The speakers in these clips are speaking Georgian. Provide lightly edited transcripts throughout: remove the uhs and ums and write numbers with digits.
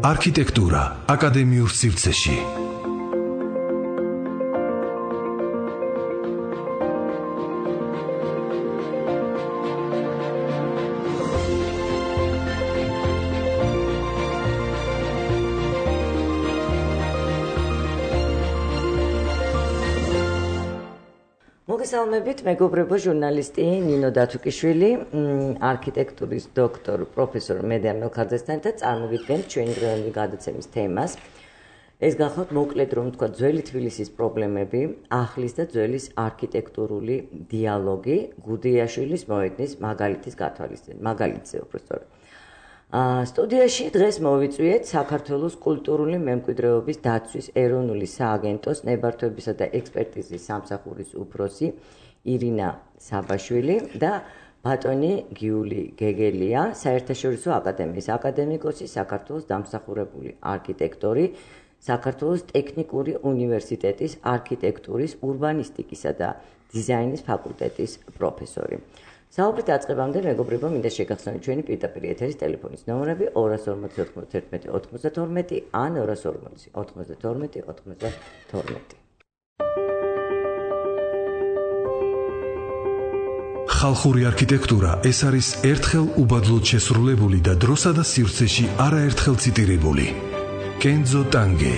არქიტექტურა აკადემიურ სივრცეში. მოგესალმებით, მეგობრებო, ჟურნალისტი ნინო დათუკიშვილი, არქიტექტურის დოქტორ პროფესორ მედია მელქაძესთან და წარმოგიდგენთ ჩვენი დღევანდელი გადაცემის თემას. ეს გახლავთ მოკლედ რომ თქვა ძველი თბილისის პრობლემები, ახლის და ძველის არქიტექტურული დიალოგი, გუდიაშვილის მოედნის მაგალითის გათვალისწინებით. მაგალითზე უბრალოდ. სტუდიაში დღეს მოვიწვიეთ საქართველოს კულტურული მემკვიდრეობის დაცვის ეროვნული სააგენტოს ნებართვებისა და ექსპერტიზის სამსახურის უფროსი ირინა საბაშვილი და ბატონი გიული გეგელია, საერთაშორისო აკადემიის აკადემიკოსი, საქართველოს დამსახურებული არქიტექტორი, საქართველოს ტექნიკური უნივერსიტეტის არქიტექტურის, ურბანისტიკისა და დიზაინის ფაკულტეტის პროფესორი. საუბრით დაწყებამდე მეგობრებო, მინდა შეგახსენოთ ჩვენი პირდაპირ ეთერის ტელეფონის ნომრები 240 91 92 ან 240 92 92. ხალხური არქიტექტურა ეს არის ერთხელ უბადლოდ შესრულებული და დროსა და სივრცეში არაერთხელ ციტირებული. კენძო ტანგე.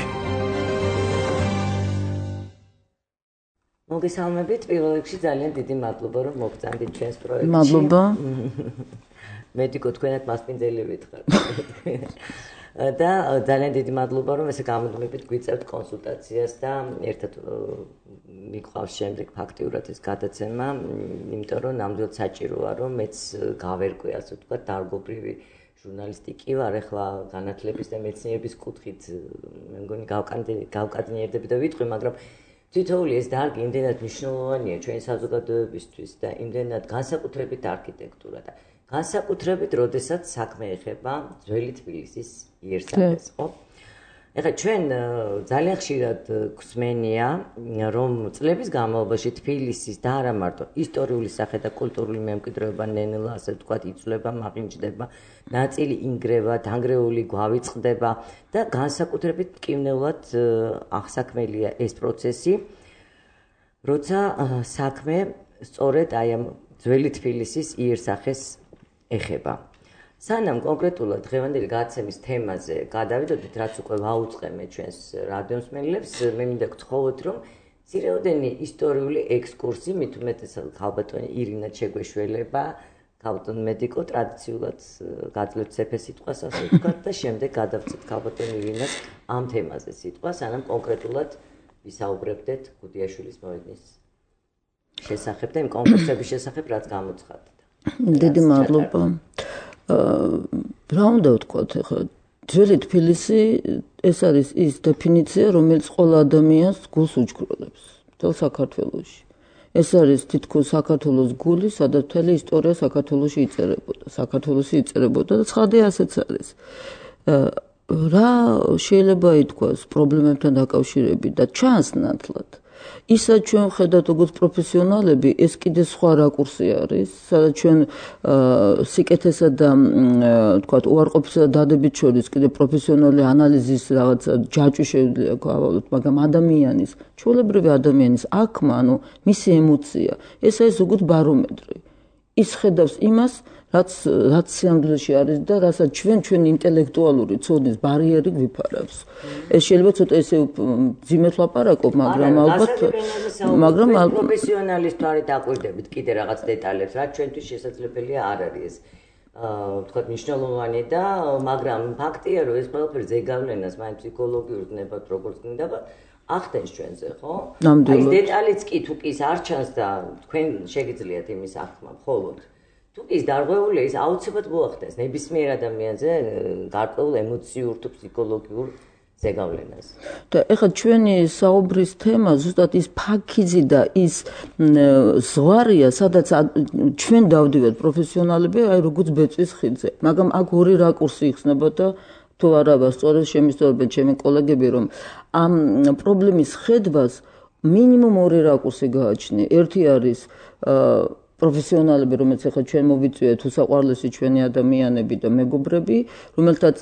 მოგესალმებით, პირველ რიგში ძალიან დიდი მადლობა რომ მოგწანდით ჩვენს პროექტში. მადლობა. მედიკო თქვენად მასპინძელი ვითხარ. და ძალიან დიდი მადლობა რომ ესე გამოდმებით გვიწევთ კონსულტაციას და ერთად მიყვავს შემდეგ ფაქტიურად ეს გადაცემა, იმიტომ რომ ნამდვილად საჭიროა რომ მეც გავერკვე ასე ვთქვათ დარგობრივი ჟურნალისტი კი ვარ, ახლა განათლების და მეცნიერების კუთხით მე მგონი გავკადნიერდები და ვიტყვი, მაგრამ თითოეული ეს დარგი იმდენად მნიშვნელოვანია ჩვენი საზოგადოებისთვის და იმდენად განსაკუთრებით არქიტექტურა და განსაკუთრებით როდესაც საქმე ეხება ძველი თბილისის იერსახეს, ხო? ეხლა ჩვენ ძალიან ხშირად გვსმენია, რომ წლების განმავლობაში თბილისის და არა მარტო ისტორიული სახე და კულტურული მემკვიდრეობა ნენელა, ასე ვთქვათ, იცვლება, მაყინჯდება, ნაწილი ინგრევა, დანგრეული გვავიწყდება და განსაკუთრებით მტკივნეულად აღსაქმელია ეს პროცესი, როცა საქმე სწორედ აი ამ ძველი თბილისის იერსახეს ეხება. სანამ კონკრეტულად დღევანდელი გადაცემის თემაზე გადავიდოდით, რაც უკვე ვაუწყემე ჩვენს რადიომსმენელებს, მე მინდა გთხოვოთ, რომ ძირეოდენი ისტორიული ექსკურსი, მით უმეტესად ქალბატონი ირინას შეგვეშველება, ქალბატონ მედიკო ტრადიციულად გაძლევთ ცეფე სიტყვას, ასე ვთქვათ, და შემდეგ გადავწევთ ქალბატონ ირინას ამ თემაზე სიტყვას, სანამ კონკრეტულად ვისაუბრებდეთ გუდიაშვილის მოედნის შესახებ და იმ კონკურსების შესახებ, რაც გამოცხადდა. დიდი მადლობა. რა უნდა ვთქვათ, ახლა ძველი თბილისი ეს არის ის დეფინიცია, რომელიც ყველა ადამიანს გულს უჩქროლებს მთელ საქართველოში. ეს არის თითქოს საქართველოს გული, სადაც მთელი ისტორია საქართველოში იწერებოდა და ცხადია ასეც არის. რა შეიძლება ითქვას პრობლემებთან დაკავშირებით და ჩანს ნათლად. ისაც ჩვენ ვხედავთ როგორც პროფესიონალები, ეს კიდე სხვა რაკურსი არის, სადაც ჩვენ სიკეთესა და თქვათ უარყოფისა და დადებით შორის კიდე პროფესიონალური ანალიზის რაღაც ჯაჭვი შეუძლია გავავლოთ, მაგრამ ადამიანის, ჩვეულებრივი ადამიანის აქმა, ანუ მისი ემოცია, ეს არის როგორც ბარომეტრი. ის ხედავს იმას, რაც სიამდვილეში არის და რასაც ჩვენ ინტელექტუალური ცოდნის ბარიერი გვიფარავს. ეს შეიძლება ცოტა ესე ძიმეთ ლაპარაკობ, მაგრამ ალბათ პროფესიონალის თვალით აკვირდებით კიდე რაღაც დეტალებს, რაც ჩვენთვის შესაძლებელია არ არის ეს ვთქვათ მნიშვნელოვანი და მაგრამ ფაქტია, რომ ეს ყველაფერი ზეგავლენას მაინც ფსიქოლოგიურ ვნებად როგორც გინდა ახდენს ჩვენზე, ხო? ნამდვილად. აი დეტალიც კი თუ კი არ ჩანს და თქვენ შეგიძლიათ იმის ახმა, მხოლოდ თუ კი ის დარღვეულია, ის აუცილებლად მოახდენს ნებისმიერ ადამიანზე გარკვეულ ემოციურ თუ ფსიქოლოგიურ ზეგავლენას. და ეხლა ჩვენი საუბრის თემა ზუსტად ის ფაქიზი და ის ზღვარია, სადაც ჩვენ დავდივართ პროფესიონალები, აი როგორც ბეწვის ხიდზე. მაგრამ აქ ორი რაკურსი იხსნება და თუ არა სწორედ შემისწორებენ ჩემი კოლეგები, რომ ამ პრობლემის ხედვას მინიმუმ ორი რაკურსი გააჩნია. ერთი არის პროფესიონალები, რომელიც ახლა ჩვენ მოვიწვიეთ უსაყვარლესი ჩვენი ადამიანები და მეგობრები, რომელთაც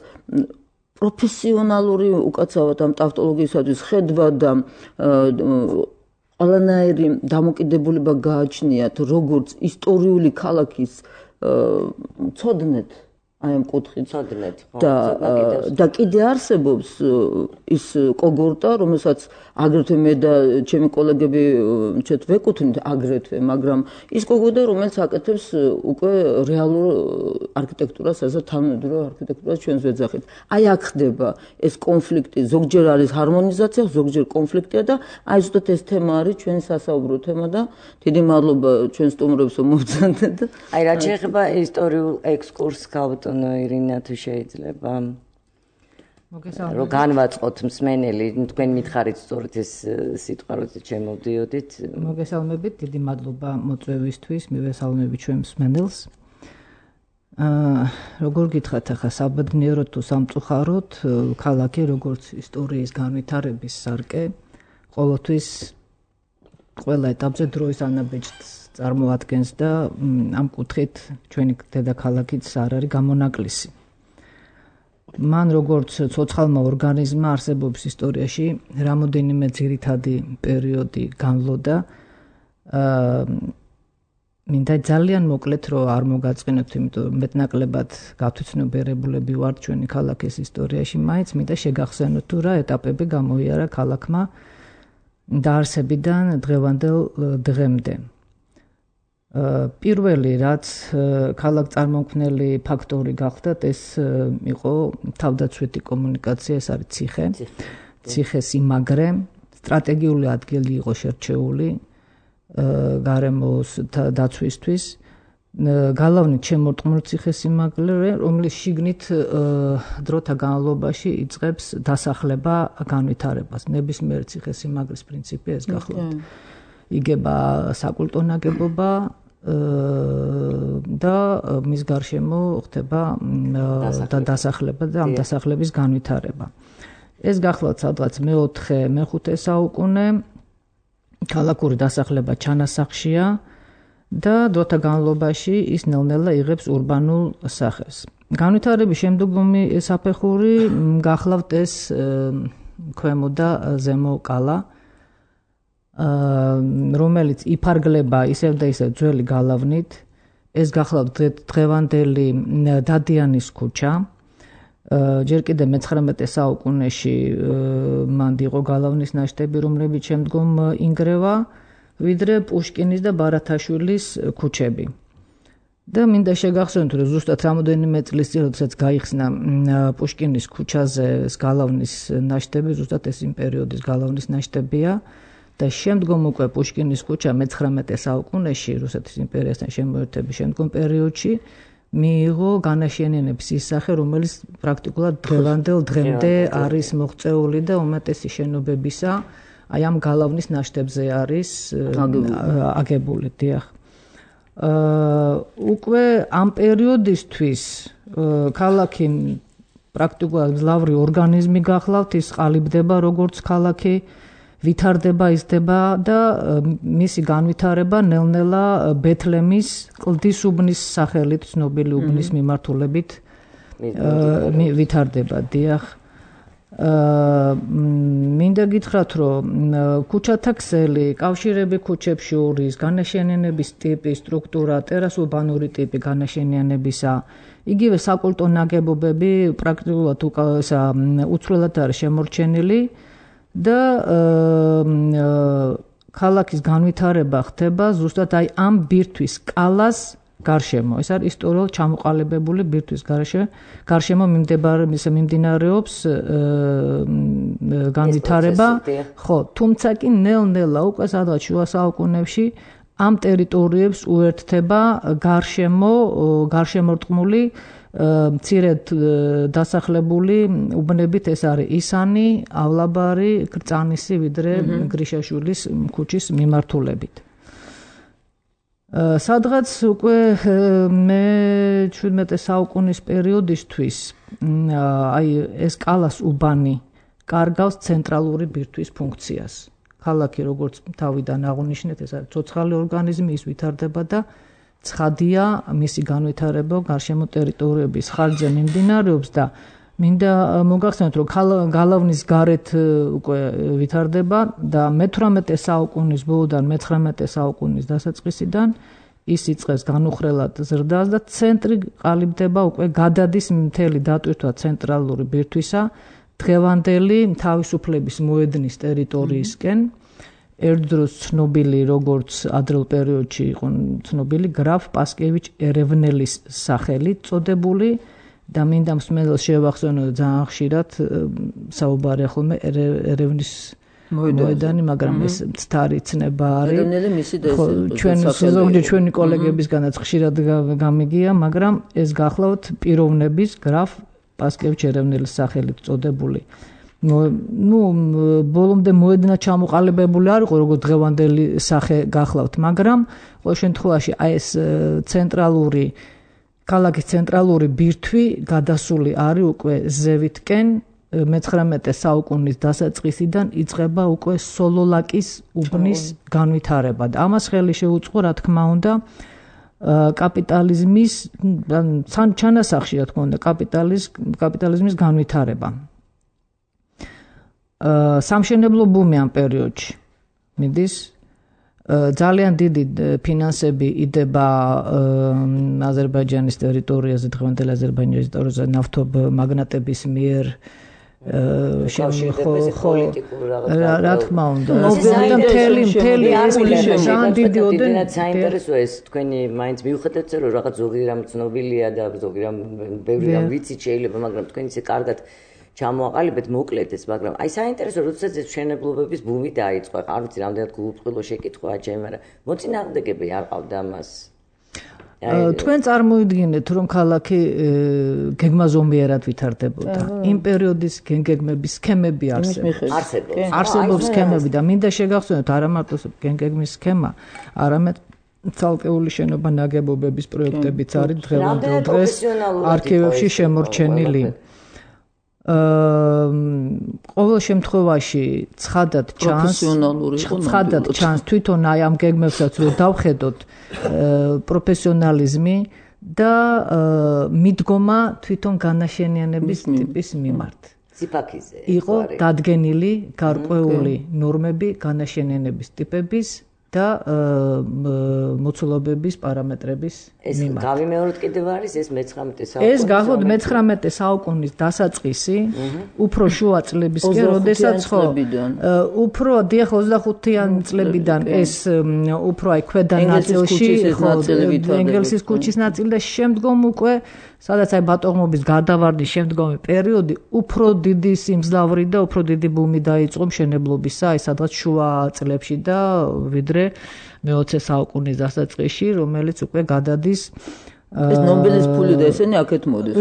პროფესიონალური უკაცრავად ამ ტავტოლოგიისათვის ხედვა და ყველანაირი დამოკიდებულება გააჩნიათ როგორც ისტორიული ქალაქის ცოდნეთ აი ამ კუთხით და კიდე არსებობს ის კოგორტა, რომელსაც აგრეთვე მე და ჩემი კოლეგები ჩვენ ვეკუთვნით აგრეთვე, მაგრამ ის კოგორტა, რომელიც აკეთებს უკვე რეალურ არქიტექტურას, ასე თანამედროვე არქიტექტურას ჩვენს ვეძახით. აი აქ ხდება ეს კონფლიქტი, ზოგჯერ არის ჰარმონიზაცია, ზოგჯერ კონფლიქტია და აი ზუსტად ეს თემა არის ჩვენი სასაუბრო თემა და დიდი მადლობა ჩვენ სტუმრებს რომ მოვწანდეთ. აი რა შეიძლება ისტორიულ ექსკურსს ირინა თუ შეიძლება რომ განვაწყოთ მსმენელი თქვენ მითხარით სწორედ ეს სიტყვა როცა შემოვდიოდით მოგესალმებით დიდი მადლობა მოწვევისთვის მივესალმები ჩვენ მსმენელს როგორ გითხრათ ახლა საბედნიეროდ თუ სამწუხაროდ ქალაქი როგორც ისტორიის განვითარების სარკე ყოველთვის ყველა ეტაპზე დროის ანაბეჭდს წარმოადგენს და ამ კუთხით ჩვენი დედაქალაქიც არ არის გამონაკლისი. მან როგორც ცოცხალმა ორგანიზმმა არსებობის ისტორიაში რამოდენიმე ძირითადი პერიოდი განვლოდა. მინდა ძალიან მოკლედ რომ არ მოგაწყინოთ, იმიტომ რომ მეტნაკლებად გათვითცნობიერებულები ვართ ჩვენი ქალაქის ისტორიაში, მაინც მინდა შეგახსენოთ თუ რა ეტაპები გამოიარა ქალაქმა დაარსებიდან დღევანდელ დღემდე. პირველი რაც ქალაქ წარმომქმნელი ფაქტორი გახდათ ეს იყო თავდაცვითი კომუნიკაცია, ეს არის ციხე. ციხეს იმაგრე, სტრატეგიული ადგილი იყო შერჩეული გარემოს დაცვისთვის. გალავნით შემორტყმული ციხეს იმაგრე, რომლის შიგნით დროთა განმავლობაში იწყებს დასახლება განვითარებას. ნებისმიერ ციხეს იმაგრის პრინციპი ეს გახლავთ. იგება საკულტო ნაგებობა და მის გარშემო ხდება დასახლება და ამ დასახლების განვითარება. ეს გახლავთ სადღაც მე-4-მე-5 საუკუნე ქალაქური დასახლება ჩანასახშია და დროთა განმავლობაში ის ნელ-ნელა იღებს ურბანულ სახეს. განვითარების შემდგომი საფეხური გახლავთ ეს ქვემო და ზემო კალა რომელიც იფარგლება ისევ და ისევ ძველი გალავნით. ეს გახლავთ დღევანდელი დადიანის ქუჩა. ჯერ კიდე მე-19 საუკუნეში მანდ იყო გალავნის ნაშთები, რომლებიც შემდგომ ინგრევა, ვიდრე პუშკინის და ბარათაშვილის ქუჩები. და მინდა შეგახსენოთ, რომ ზუსტად რამოდენიმე წლის წინ, როდესაც გაიხსნა პუშკინის ქუჩაზე გალავნის ნაშთები, ზუსტად ეს იმ პერიოდის გალავნის ნაშთებია. და შემდგომ უკვე პუშკინის ქუჩა მე-19 საუკუნეში რუსეთის იმპერიასთან შემოერთების შემდგომ პერიოდში მიიღო განაშენიანების ის სახე, რომელიც პრაქტიკულად დღევანდელ დღემდე არის მოღწეული და უმეტესი შენობებისა აი ამ გალავნის ნაშთებზე არის აგებული, დიახ. უკვე ამ პერიოდისთვის ქალაქი პრაქტიკულად მძლავრი ორგანიზმი გახლავთ, ის ყალიბდება როგორც ქალაქი, ვითარდება, იზრდება და მისი განვითარება ნელ-ნელა ბეთლემის კლდის უბნის სახელით ცნობილი უბნის მიმართულებით ვითარდება, დიახ. მინდა გითხრათ, რომ ქუჩათა ქსელი, კავშირები ქუჩებს შორის, განაშენიანების ტიპი, სტრუქტურა, ტერასურბანური ტიპი განაშენიანებისა, იგივე საკულტო ნაგებობები პრაქტიკულად უცვლელად არის შემორჩენილი. და ქალაქის განვითარება ხდება ზუსტად აი ამ ბირთვის კალას გარშემო. ეს არის ისტორიულად ჩამოყალიბებული ბირთვის გარშემო მიმდინარეობს განვითარება. ხო, თუმცა კი ნელ-ნელა უკვე სადღაც შუა საუკუნეებში ამ ტერიტორიებს უერთდება გარშემორტყმული მცირედ დასახლებული უბნებით, ეს არის ისანი, ავლაბარი, კრწანისი, ვიდრე გრიშაშვილის ქუჩის მიმართულებით. სადღაც უკვე მე-17 საუკუნის პერიოდისთვის აი ეს კალას უბანი კარგავს ცენტრალური ბირთვის ფუნქციას. ქალაქი როგორც თავიდან აღნიშნეთ, ეს არის ცოცხალი ორგანიზმი, ის ვითარდება და ცხადია მისი განვითარება გარშემო ტერიტორიების ხარჯზე მიმდინარეობს და მინდა მოგახსენოთ, რომ გალავნის გარეთ უკვე ვითარდება და მე-18 საუკუნის ბოლოდან მე-19 საუკუნის დასაწყისიდან ის იწყებს განუხრელად ზრდას და ცენტრი ყალიბდება უკვე გადადის მთელი დატვირთვა ცენტრალური ბირთვისა დღევანდელი თავისუფლების მოედნის ტერიტორიისკენ. ერთდროს ცნობილი როგორც ადრეულ პერიოდში იყო ცნობილი გრაფ პასკევიჩ ერევნელის სახელით წოდებული და მინდა მსმენელს შევახსენო ძალიან ხშირად საუბარი ხოლმე ერევნის მოედანი, მაგრამ ეს მცდარი ცნება არის. ერევნელი მისი ჩვენი კოლეგებისგანაც ხშირად გამიგია, მაგრამ ეს გახლავთ პიროვნების გრაფ პასკევიჩ ერევნელის სახელით წოდებული. ბოლომდე მოედნა ჩამოყალიბებული არ იყო როგორც დღევანდელი სახე გახლავთ, მაგრამ ყოველ შემთხვევაში აი ეს ქალაქის ცენტრალური ბირთვი გადასული არის უკვე ზევითკენ მე-19 საუკუნის დასაწყისიდან იწყება უკვე სოლოლაკის უბნის განვითარება და ამას ხელი შეუწყო, რა თქმა უნდა, კაპიტალიზმის ჩანასახში, რა თქმა უნდა, კაპიტალიზმის განვითარება. სამშენებლო ბუმი ამ პერიოდში მიდის, ძალიან დიდი ფინანსები იდება აზერბაიჯანის ტერიტორიაზე, დღევანდელი აზერბაიჯანის ტერიტორიაზე ნავთობმაგნატების მიერ რა თქმა უნდა, მთელი ეს ძალიან დიდი ოდენად საინტერესოა ეს თქვენი მაინც მიუხედავად რომ რაღაც ზოგი რამ ცნობილია და ზოგი რამ ბევრი რამ ვიცით შეიძლება, მაგრამ თქვენ ისე კარგად ჩამოაყალიბეთ მოკლედ ეს, მაგრამ აი საინტერესო როდესაც ეს მშენებლობების ბუმი დაიწყო, არ ვიცი რამდენად გულუბრყვილო შეკითხვაა ჩემი, მაგრამ მოწინააღმდეგეები არ ყავდა ამას. თქვენ წარმოიდგინეთ, რომ ქალაქი გეგმაზომიერად ვითარდებოდა. იმ პერიოდის გეგმების სქემები არსებობს სქემები და მინდა შეგახსენოთ, არა მარტო გეგმის სქემა, არამედ ცალკეული შენობა ნაგებობების პროექტებიც არის დღევანდელ დღეს არქივებში შემორჩენილი. ყოველ შემთხვევაში ცხადად ჩანს თვითონ აი ამ გეგმებსაც რომ დავხედოთ პროფესიონალიზმი და მიდგომა თვითონ განაშენიანების ტიპის მიმართ. იყო დადგენილი გარკვეული ნორმები განაშენიანების ტიპების და მოცულობების პარამეტრების მიმართ. ეს გავიმეოროთ კიდევ არის ეს მე-19 საუკუნის. ეს გახლავთ მე-19 საუკუნის დასაწყისი, უფრო შუა წლებისკენ, როდესაც უფრო 25-იან წლებიდან ეს უფრო აი ქვედა ნაწილში, ენგელსის ქუჩის ნაწილი და შემდგომ უკვე სადაც აი ბატონყმობის გარდავარდნის შემდგომი პერიოდი უფრო დიდი სიმძლავრით და უფრო დიდი ბუმი დაიწყო მშენებლობისა, აი სადღაც შუა წლებში და ვიდრე მე-20 საუკუნის დასაწყისში, რომელიც უკვე გადადის ეს ნობელის ფული და ესენი აქეთ მოდის.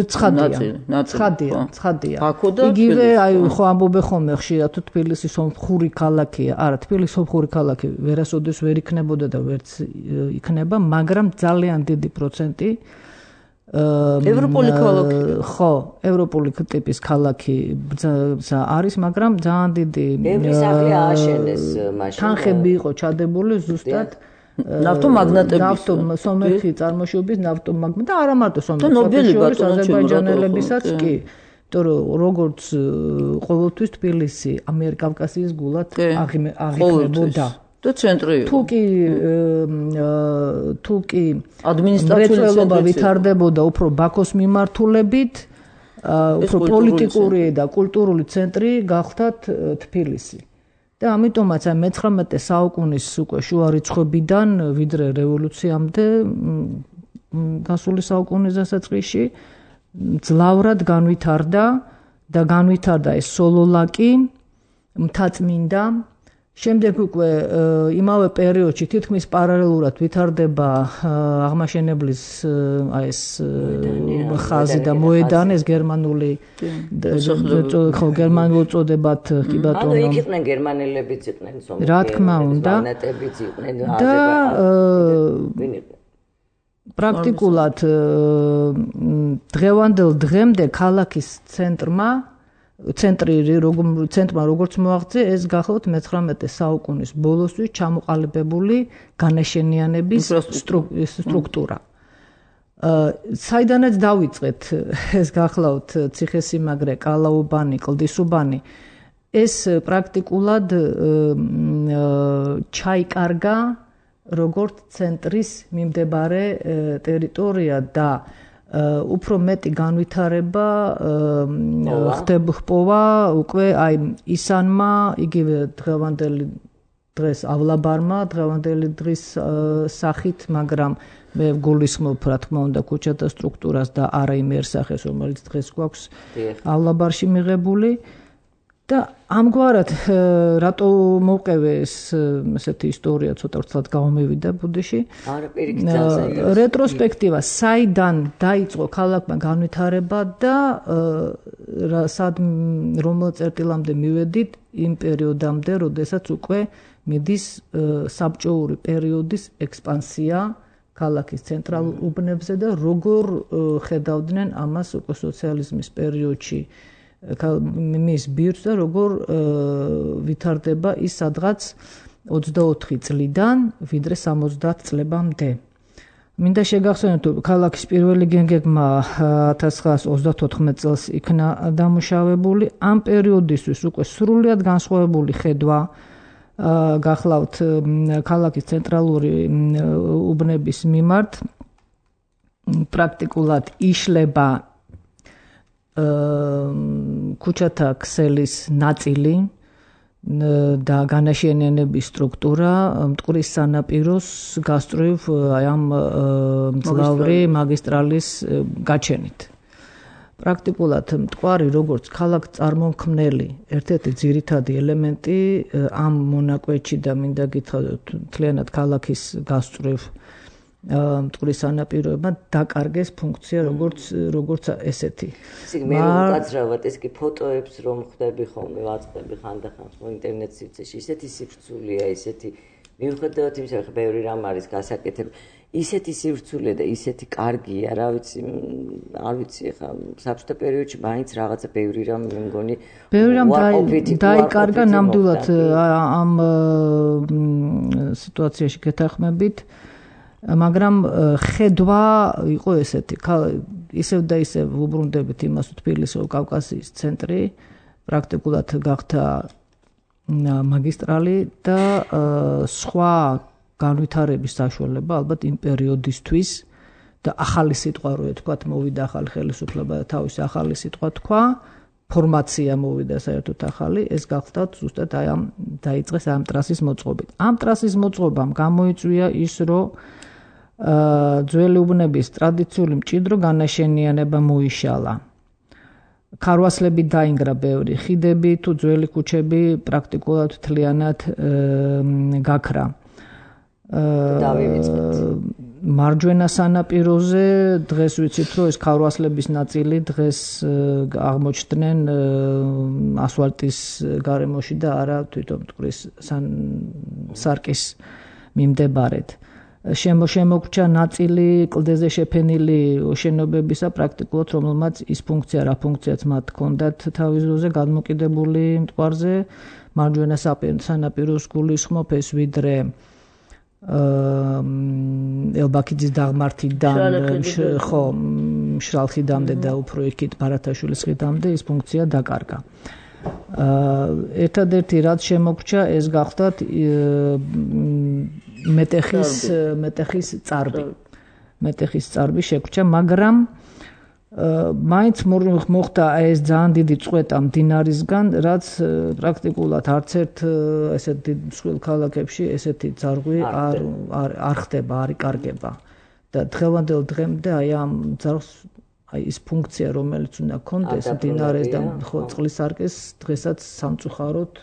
ცხადია. იგივე აი ხო ამბობენ ხოლმე ხშირად თუ თბილისი სომხური ქალაქია. არა, თბილისი სომხური ქალაქი ვერასოდეს ვერ იქნებოდა და ვერც იქნება, მაგრამ ძალიან დიდი პროცენტი ევროპული ქალაქი. ხო, ევროპული ტიპის ქალაქი არის, მაგრამ ძალიან დიდი ბევრი სახლი ააშენეს მაშინ. თანხები იყო ჩადებული ზუსტად ნავთომაგნატების სომეხი წარმოშობის ნავთომაგნატები და არა მარტო სომეხი, აზერბაიჯანელებისაც კი. იმიტომ რომ როგორც ყოველთვის თბილისი ამიერკავკასიის გულად აღიქმებოდა. და ცენტრი თუ კი ადმინისტრაციული ვითარდებოდა უფრო ბაქოს მიმართულებით, უფრო პოლიტიკური და კულტურული ცენტრი გახდათ თბილისი. და ამიტომაც მე-19 საუკუნის უკვე შუა რიცხვებიდან ვიდრე რევოლუციამდე გასული საუკუნის დასაწყისში ძლავრად განვითარდა ეს სოლოლაკი, მთაწმინდა. შემდეგ უკვე იმავე პერიოდში თითქმის პარალელურად ვითარდება აღმაშენებლის აი ეს ხაზი და მოედანი, ეს გერმანული გერმანულ წოდებათ კი ბატონო. ანუ იქ იყვნენ გერმანელებიც იყვნენ სომხები. რა თქმა უნდა. და პრაქტიკულად დღევანდელ დღემდე ქალაქის ცენტრმა როგორც მოაღწია, ეს გახლავთ მე-19 საუკუნის ბოლოსთვის ჩამოყალიბებული განაშენიანების სტრუქტურა. საიდანაც დავიწყეთ ეს გახლავთ ციხესიმაგრე, კალაუბანი, კლდისუბანი ეს პრაქტიკულად ჩაიკარგა როგორც ცენტრის მიმდებარე ტერიტორია და უფრო მეტი განვითარება ხდება უკვე აი ისანმა იგივე დღევანდელი დღეს ავლაბარმა დღევანდელი დღის სახით, მაგრამ მე გულისხმობ რა თქმა უნდა ქუჩათა სტრუქტურას და არა იმერსახეს, რომელიც დღეს გვაქვს ავლაბარში მიღებული და ამგვარად რატო მოვყევე ეს ესეთი ისტორია ცოტა ვრცლად გამომივიდა ბუდეში. არა, პირიქით ძალიან რეტროსპექტივა, საიდან დაიწყო ქალაქმა განვითარება და რომელ წერტილამდე მივედით იმ პერიოდამდე, როდესაც უკვე მიდის საბჭოური პერიოდის ექსპანსია ქალაქის ცენტრალურ უბნებზე და როგორ ხედავდნენ ამას უკვე სოციალიზმის პერიოდში მის ბირთვს და როგორ ვითარდება ის სადღაც 24 წლიდან ვიდრე 70 წლებამდე. მინდა შეგახსენოთ, ქალაქის პირველი გენგეგმა 1934 წელს იქნა დამუშავებული. ამ პერიოდისთვის უკვე სრულიად განსხვავებული ხედვა გახლავთ ქალაქის ცენტრალური უბნების მიმართ. პრაქტიკულად იშლება ქუჩათა ქსელის ნაწილი და განაშენიანების სტრუქტურა მტკვრის სანაპიროს გასწვრივ ამ მძლავრი მაგისტრალის გაჩენით. პრაქტიკულად მტკვარი როგორც ქალაქ წარმომქმნელი ერთ-ერთი ძირითადი ელემენტი ამ მონაკვეთში და მინდა გითხრათ მთლიანად ქალაქის გასწვრივ მტკვრის სანაპიროებმა დაკარგეს ფუნქცია როგორც ესეთი. მე უკაცრავად ეს კი ფოტოებს რომ ხვდები ხოლმე ვაწყდები ხანდახან ინტერნეტ სივრცეში ისეთი სივრცულია, ისეთი მიუხედავად იმისა, რომ ბევრი რამ არის გასაკეთებელი, ისეთი სივრცულე და ისეთი კარგია, რა ვიცი, არ ვიცი ხა საბჭოთა პერიოდში მაინც რაღაცა ბევრი რამ მე მგონი ბევრი რამ დაიკარგა ნამდვილად ამ სიტუაციაში გეთანხმებით. მაგრამ ხედვა იყო ესეთი, ისევ და ისევ ვუბრუნდებით იმას, რომ თბილისი კავკასიის ცენტრი პრაქტიკულად გახდა მაგისტრალი და სხვა განვითარების საშუალება ალბათ იმ პერიოდისთვის და ახალი სიტყვა რო ეთქვათ, მოვიდა ახალი ხელისუფლება და თავისი ახალი სიტყვა თქვა, ფორმაცია მოვიდა საერთოდ ახალი, ეს გახდა ზუსტად აი ამ დაიწყეს ამ ტრასის მოწყობით. ამ ტრასის მოწყობამ გამოიწვია ის, რომ ძველი უბნების ტრადიციული მჭიდრო განაშენიანება მოიშალა. ქარვასლები დაინგრა ბევრი, ხიდები თუ ძველი ქუჩები პრაქტიკულად მთლიანად გაქრა. მარჯვენა სანაპიროზე დღეს ვიცით, რომ ეს ქარვასლების ნაწილი დღეს აღმოჩნდნენ ასფალტის გარემოში და არა თვითონ მტკვრის სარკის მიმდებარედ. შემოგრჩა ნაწილი კლდეზე შეფენილი შენობებისა პრაქტიკულად, რომელმაც ის ფუნქცია, რა ფუნქციაც მათ ჰქონდათ თავის დროზე გადმოკიდებული მტკვარზე, მარჯვენა სანაპიროს გულისხმობ ეს ვიდრე ელბაქიძის დაღმართიდან ხო მშრალხიდამდე და უფრო იქით ბარათაშვილის ხიდამდე ის ფუნქცია დაკარგა. ერთადერთი რაც შემოგრჩა ეს გახდათ მეტეხის წარბი. მეტეხის წარბი შეგრჩა, მაგრამ მაინც მოხდა ეს ძალიან დიდი წვეტა მდინარისგან, რაც პრაქტიკულად არც ერთ ესეთ დიდ მსხვილ ქალაქებში ესეთი ძარღვი არ ხდება, არ იკარგება. და დღევანდელ დღემდე აი ამ ძარღვს აი ის ფუნქცია, რომელიც უნდა ქონდეს მდინარეს და წყლის სარკეს დღესაც სამწუხაროდ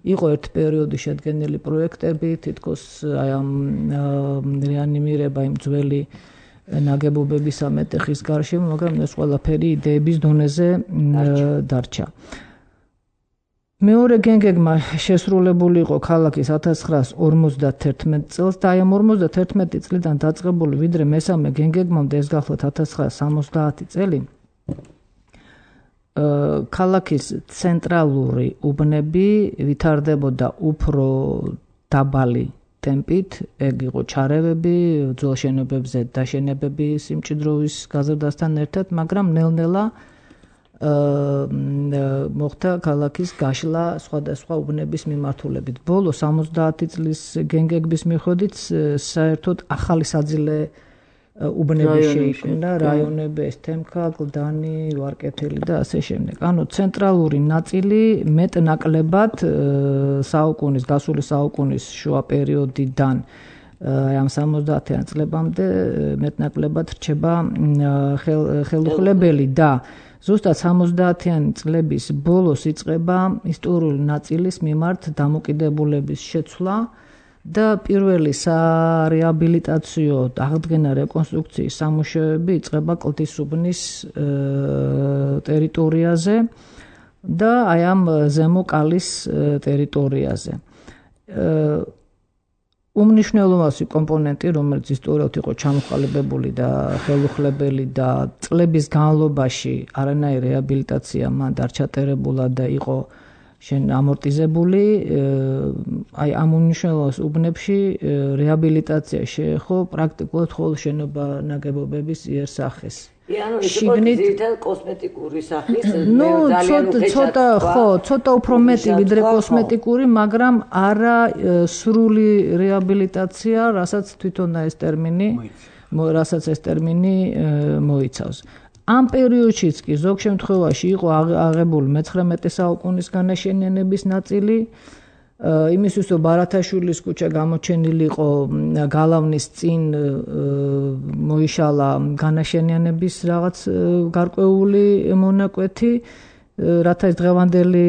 იყო ერთ პერიოდი შედგენილი პროექტები, თითქოს აი ამ რეანიმირება იმ ძველი ნაგებობების მეტეხის გარშემო, მაგრამ ეს ყველაფერი იდეების დონეზე დარჩა. მეორე გენგეგმა შესრულებული იყო ქალაქის 1951 წელს და აი ამ 51 წლიდან დაწყებული ვიდრე მესამე გენგეგმამდე ეს გახლავთ 1970 წელი. ქალაქის ცენტრალური უბნები ვითარდებოდა უფრო დაბალი ტემპით, ეგ იყო ჩარევები, ძველ შენობებზე დაშენებები სიმჭიდროვის გაზრდასთან ერთად, მაგრამ ნელ-ნელა მოხდა ქალაქის გაშლა სხვადასხვა უბნების მიმართულებით. ბოლო 70 წლის გენგეგების მიხედვით საერთოდ ახალი საძილე უბნები შეიქმნა, რაიონები, თემქა, გლდანი, ვარკეთილი და ასე შემდეგ. ანუ ცენტრალური ნაწილი მეტ-ნაკლებად საუკუნის, გასული საუკუნის შუა პერიოდიდან ამ 70-იან წლებამდე მეტ-ნაკლებად რჩება ხელუხლებელი და ზუსტად 70-იანი წლების ბოლოს იწყება ისტორიული ნაწილის მიმართ დამოკიდებულების შეცვლა და პირველი სარეაბილიტაციო აღდგენა რეკონსტრუქციის სამუშაოები იწყება კლდისუბნის ტერიტორიაზე და აი ამ ზემო კალის ტერიტორიაზე. უმნიშვნელოვანესი კომპონენტი, რომელიც ისტორიულად იყო ჩამოყალიბებული და ხელუხლებელი და წლების განმავლობაში არანაირი რეაბილიტაცია მან არ ჩატარებულა და იყო ამორტიზებული, აი ამ უმნიშვნელოვანეს უბნებში რეაბილიტაცია შეეხო პრაქტიკულად მხოლოდ შენობა ნაგებობების იერსახეს. შიგნით კოსმეტიკური სახის, ცოტა უფრო მეტი ვიდრე კოსმეტიკური, მაგრამ არა სრული რეაბილიტაცია, რასაც თვითონ ეს ტერმინი მოიცავს. ამ პერიოდშიც კი ზოგ შემთხვევაში იყო აღებული მე-19 საუკუნის განაშენიანების ნაწილი, იმისთვის რომ ბარათაშვილის ქუჩა გამოჩენილი იყო გალავნის წინ მოიშალა განაშენიანების რაღაც გარკვეული მონაკვეთი, რათა ეს დღევანდელი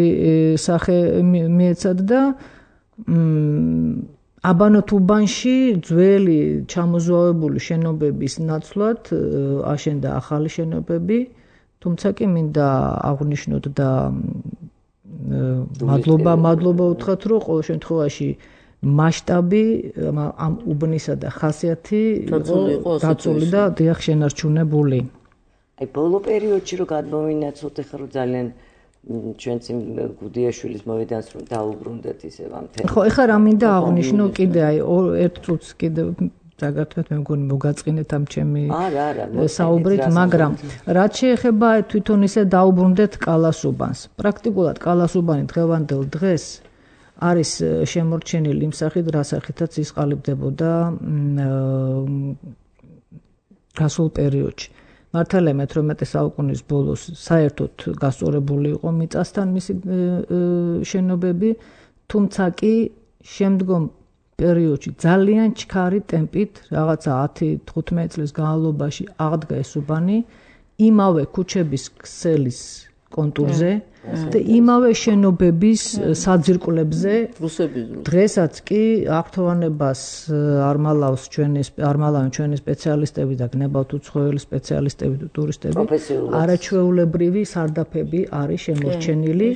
სახე მიეცათ და აბანოთ უბანში ძველი ჩამოზვავებული შენობების ნაცვლად აშენდა ახალი შენობები, თუმცა კი მინდა აღვნიშნოთ და მადლობა უთხრათ, რომ ყოველ შემთხვევაში მასშტაბი ამ უბნისა და ხასიათი დაცული და დიახ შენარჩუნებული. აი ბოლო პერიოდში რომ გადმოვინაცოთ, ახლა რომ ძალიან ჩვენც იმ გუდიაშვილის მოედანს რომ დაუბრუნდეთ ისევ ამ თემას. ხო, ეხლა რა მინდა აღვნიშნო კიდე აი ერთ წუთს კიდე დაგართვეთ, მე მგონი მოგაწყინეთ ამ ჩემი საუბრით, მაგრამ რაც შეეხება თვითონ ისე დაუბრუნდეთ კალასუბანს. პრაქტიკულად კალასუბანი დღევანდელ დღეს არის შემორჩენილი იმ სახით, რა სახითაც ის ყალიბდებოდა გასულ პერიოდში. მართალია მე-18 საუკუნის ბოლოს საერთოდ გასწორებული იყო მიწასთან მისი შენობები, თუმცა კი შემდგომ პერიოდში ძალიან ჩქარი ტემპით, რაღაცა 10-15 წლის განმავლობაში აღდგა ეს უბანი იმავე ქუჩების ქსელის კონტურზე და იმავე შენობების საძირკვლებზე. დღესაც კი აქტოვანებას არ მალავენ ჩვენი სპეციალისტები და გნებავთ უცხოელი სპეციალისტები და ტურისტები. არაჩვეულებრივი სარდაფები არის შემორჩენილი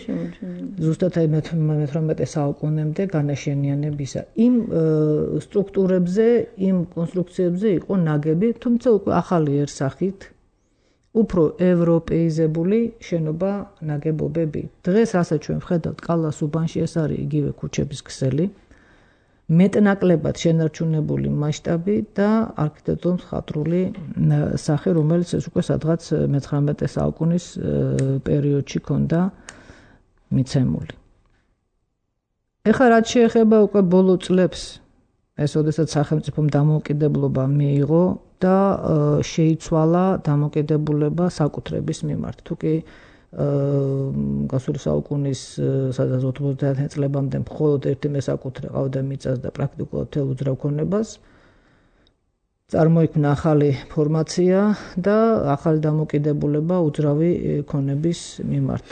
ზუსტად აი მე-18 საუკუნემდე განაშენიანებისა. იმ სტრუქტურებზე, იმ კონსტრუქციებზე იყო ნაგები, თუმცა უკვე ახალი ერსახით უფრო ევროპეიზებული შენობა ნაგებობები. დღეს რასაც ჩვენ ვხედავთ კალასუბანში, ეს არის იგივე ქუჩების ქსელი, მეტნაკლებად შენარჩუნებული მასშტაბი და არქიტექტურულ-მხატვრული სახე, რომელიც ეს უკვე სადღაც მე-19 საუკუნის პერიოდში ჰქონდა მიცემული. ეხლა რაც შეეხება უკვე ბოლო წლებს, ეს ოდესაც სახელმწიფომ დამოუკიდებლობა მიიღო და შეიცვალა დამოკიდებულება საკუთრების მიმართ. თუკი გასული საუკუნის სადაც 90-იან წლებამდე მხოლოდ ერთი მესაკუთრე ყავდა მიწას და პრაქტიკულად მთელ უძრავ ქონებას, წარმოიქმნა ახალი ფორმაცია და ახალი დამოკიდებულება უძრავი ქონების მიმართ.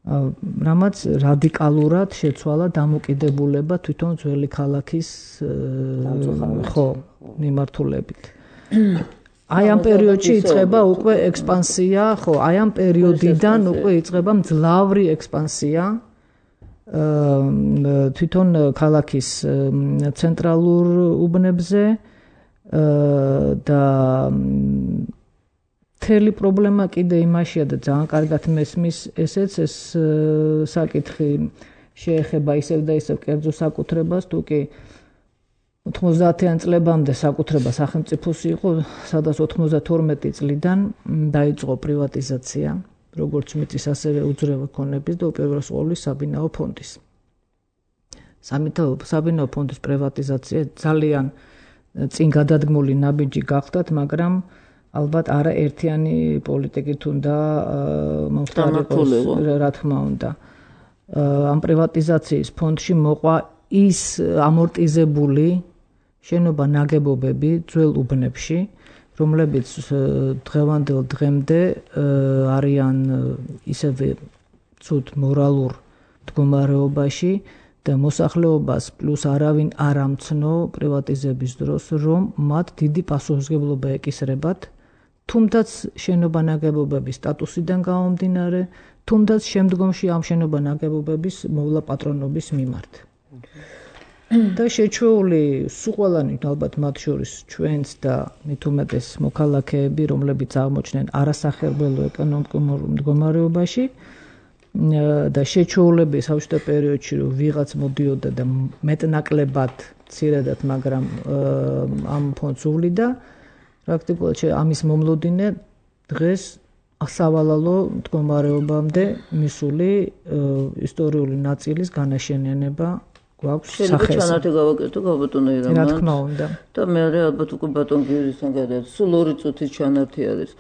რამაც რადიკალურად შეცვალა დამოკიდებულება თვითონ ძველი ქალაქის მიმართულებით. აი ამ პერიოდში იწყება უკვე ექსპანსია, აი ამ პერიოდიდან უკვე იწყება მძლავრი ექსპანსია თვითონ ქალაქის ცენტრალურ უბნებზე და მთელი პრობლემა კიდე იმაშია და ძალიან კარგად მესმის ესეც ეს საკითხი შეეხება ისევ და ისევ კერძო საკუთრებას, თუ კი 90-იან წლებამდე საკუთრება სახელმწიფოს იყო, სადაც 92 წლიდან დაიწყო პრივატიზაცია, როგორც მიწის, ასევე უძრავი ქონების და უპირველეს ყოვლისა საბინაო ფონდის. საბინაო ფონდის პრივატიზაცია ძალიან წინ გადადგმული ნაბიჯი გახდათ, მაგრამ ალბათ არა ერთიანი პოლიტიკით უნდა მომხდარიყოს, რა თქმა უნდა. ამ პრივატიზაციის ფონდში მოყვა ის ამორტიზებული შენობა ნაგებობები ძველ უბნებში, რომლებიც დღევანდელ დღემდე არიან ისევე ცუდ მორალურ მდგომარეობაში და მოსახლეობას პლუს არავინ არ ამცნო პრივატიზების დროს, რომ მათ დიდი პასუხისმგებლობა ეკისრებათ, თუმდაც შენობა ნაგებობების სტატუსიდან გამომდინარე, თუმდაც შემდგომში ამ შენობა ნაგებობების მოვლა პატრონობის მიმართ. და შეჩვეული სულ ყველანი ალბათ მათ შორის ჩვენც და მით უმეტეს მოქალაქეები, რომლებიც აღმოჩნდნენ არასახერბელო ეკონომიკურ მდგომარეობაში და შეჩვეულები საბჭოთა პერიოდში რომ ვიღაც მოდიოდა და მეტნაკლებად მცირედად, მაგრამ ამ ფონდს უვლიდა, პრაქტიკულად ამის მომლოდინე დღეს სავალალო მდგომარეობამდე მისული ისტორიული ნაწილის განაშენიანება გვაქვს სახეს. შეიძლება ჩანართი გავაკეთო გაბატონო ირანა. რა თქმა უნდა. და მე ალბათ უკვე ბატონ გიორგისთან გადავიდეთ. სულ 2 წუთის ჩანართი არის.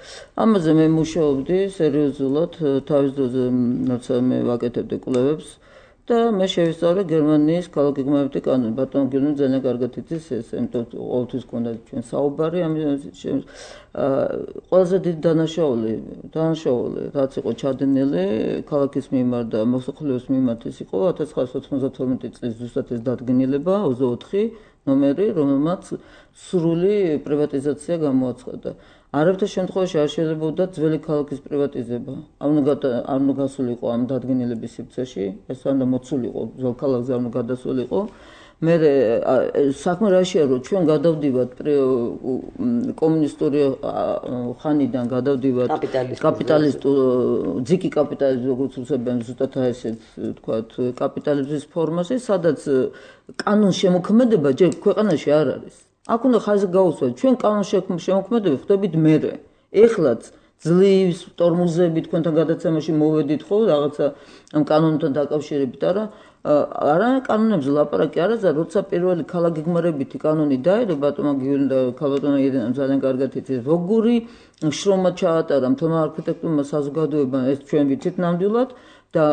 ამაზე მე მუშაობდი სერიოზულად, თავის დროზე როცა მე ვაკეთებდი კვლევებს და მე შევისწავლე გერმანიის ქალაქგეგმარებითი კანონი. ბატონ გიორგი ძალიან კარგად იცის ეს, იმიტომ ყოველთვის გქონდა ჩვენ საუბარი ყველაზე დიდი დანაშაული რაც იყო ჩადენილი ქალაქის მიმართ და მოსახლეობის მიმართ ის იყო 1992 წლის ზუსტად ეს დადგენილება 24 ნომერი, რომელმაც სრული პრივატიზაცია გამოაცხადა. არაფერთა შემთხვევაში არ შეიძლებოდა ძველი ქალაქის პრივატიზება. არ უნდა გასულიყო ამ დადგენილების სივრცეში, ეს უნდა მოცულიყო ძველ ქალაქზე, არ უნდა გადასულიყო. მე საქმე რაშია, რომ ჩვენ გადავდივართ კომუნისტური ხანიდან გადავდივართ კაპიტალისტურ ძიკი კაპიტალიზმს, როგორც უწოდებენ ზუსტად ესეთ თქვათ კაპიტალიზმის ფორმაზე, სადაც კანონის შემოქმედება ჯერ ქვეყანაში არ არის. აქ უნდა ხაზი გაუსვათ, ჩვენ კანონის შემოქმედები ხდებით მერე. ეხლაც ძლივს ტორმუზები თქვენთან გადაცემაში მოვედით ხო რაღაცა ამ კანონთან დაკავშირებით, არა კანონებზე ლაპარაკი არაცა, როცა პირველი ქალაქგეგმარებითი კანონი დაერქვა ბატონმა გიორგიმ და ქალბატონმა ირენამ ძალიან კარგად იცის, როგორი შრომა ჩაატარა მთელმა არქიტექტურმა საზოგადოებამ, ეს ჩვენ ვიცით ნამდვილად და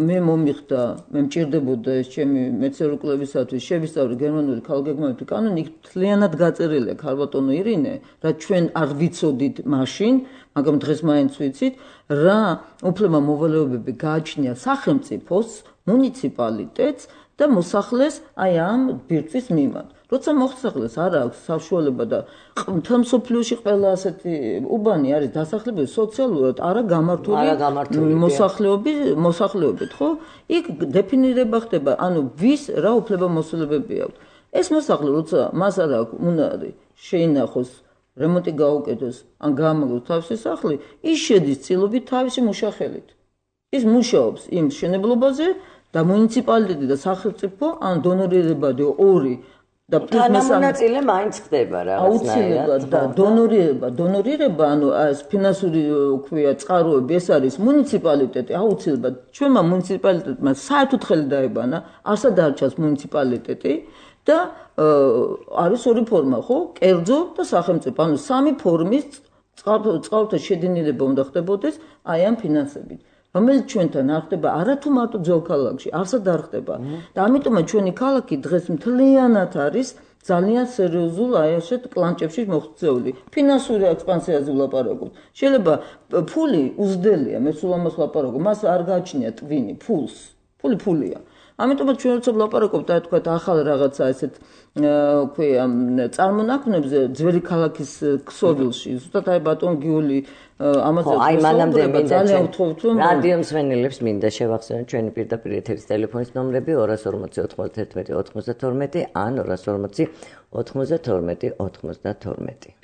მე მომიხდა, მე მჭირდებოდა ეს ჩემი მეცნიერული კვლევისათვის შევისწავლე გერმანული ქალაქგეგმარებითი კანონი, იქ მთლიანად გაწერილია ქალბატონო ირინე, რაც ჩვენ არ ვიცოდით მაშინ, მაგრამ დღეს მაინც ვიცით, რა უფლება მოვალეობები გააჩნია სახელმწიფოს, მუნიციპალიტეტს და მოსახლეს აი ამ ბირთვის მიმართ. როცა მოსახლეს არ აქვს საშუალება და მთელ მსოფლიოში ყველა ასეთი უბანი არის დასახლებული სოციალურად არა გამართული მოსახლეობით, ხო? იქ დეფინირება ხდება, ანუ ვის რა უფლება მოსულებები აქვს. ეს მოსახლე როცა მას არ აქვს უნარი შეინახოს რემონტი გაუკეთოს, ან გაამაგროს თავისი სახლი, ის შედის ცილობით თავისი მუშახელით. ის მუშაობს იმ შენებლობაზე და მუნიციპალიტეტი და სახელმწიფო ან დონორირებადი ორი და თანამონაწილე მაინც ხდება რაღაცნაირად და დონორირება, ანუ ეს ფინანსური ქვია წყაროები, ეს არის მუნიციპალიტეტი, აუცილებლად ჩვენმა მუნიციპალიტეტმა საერთოდ ხელი დაებანა, არსა დარჩას მუნიციპალიტეტი და არის ორი ფორმა, ხო? კერძო და სახელმწიფო, ანუ სამი ფორმის წყაროთა შედინება უნდა ხდებოდეს აი ამ ფინანსებით. რომელიც ჩვენთან არ ხდება არათუ მარტო ძველ ქალაქში, არსად არ ხდება. და ამიტომაც ჩვენი ქალაქი დღეს მთლიანად არის ძალიან სერიოზულ აი ასეთ კლანჭებში მოხდეული. ფინანსური ექსპანსიაზე ვლაპარაკობთ. შეიძლება ფული უზდელია, მე სულ ამას ვლაპარაკობ, მას არ გააჩნია ტვინი, ფულია. ამიტომაც ჩვენ როცა ვლაპარაკობთ, აი თქვა ახალ რაღაცა ესეთ ქვია წარმონაქმნებზე ძველი ქალაქის ქსოვილში, ზუსტად აი ბატონ გიული ამაზე მანამდე რადიო მსმენელებს მინდა შევახსენოთ ჩვენი პირდაპირ ეთერის ტელეფონის ნომრები 240 91 92 ან 240 92 92.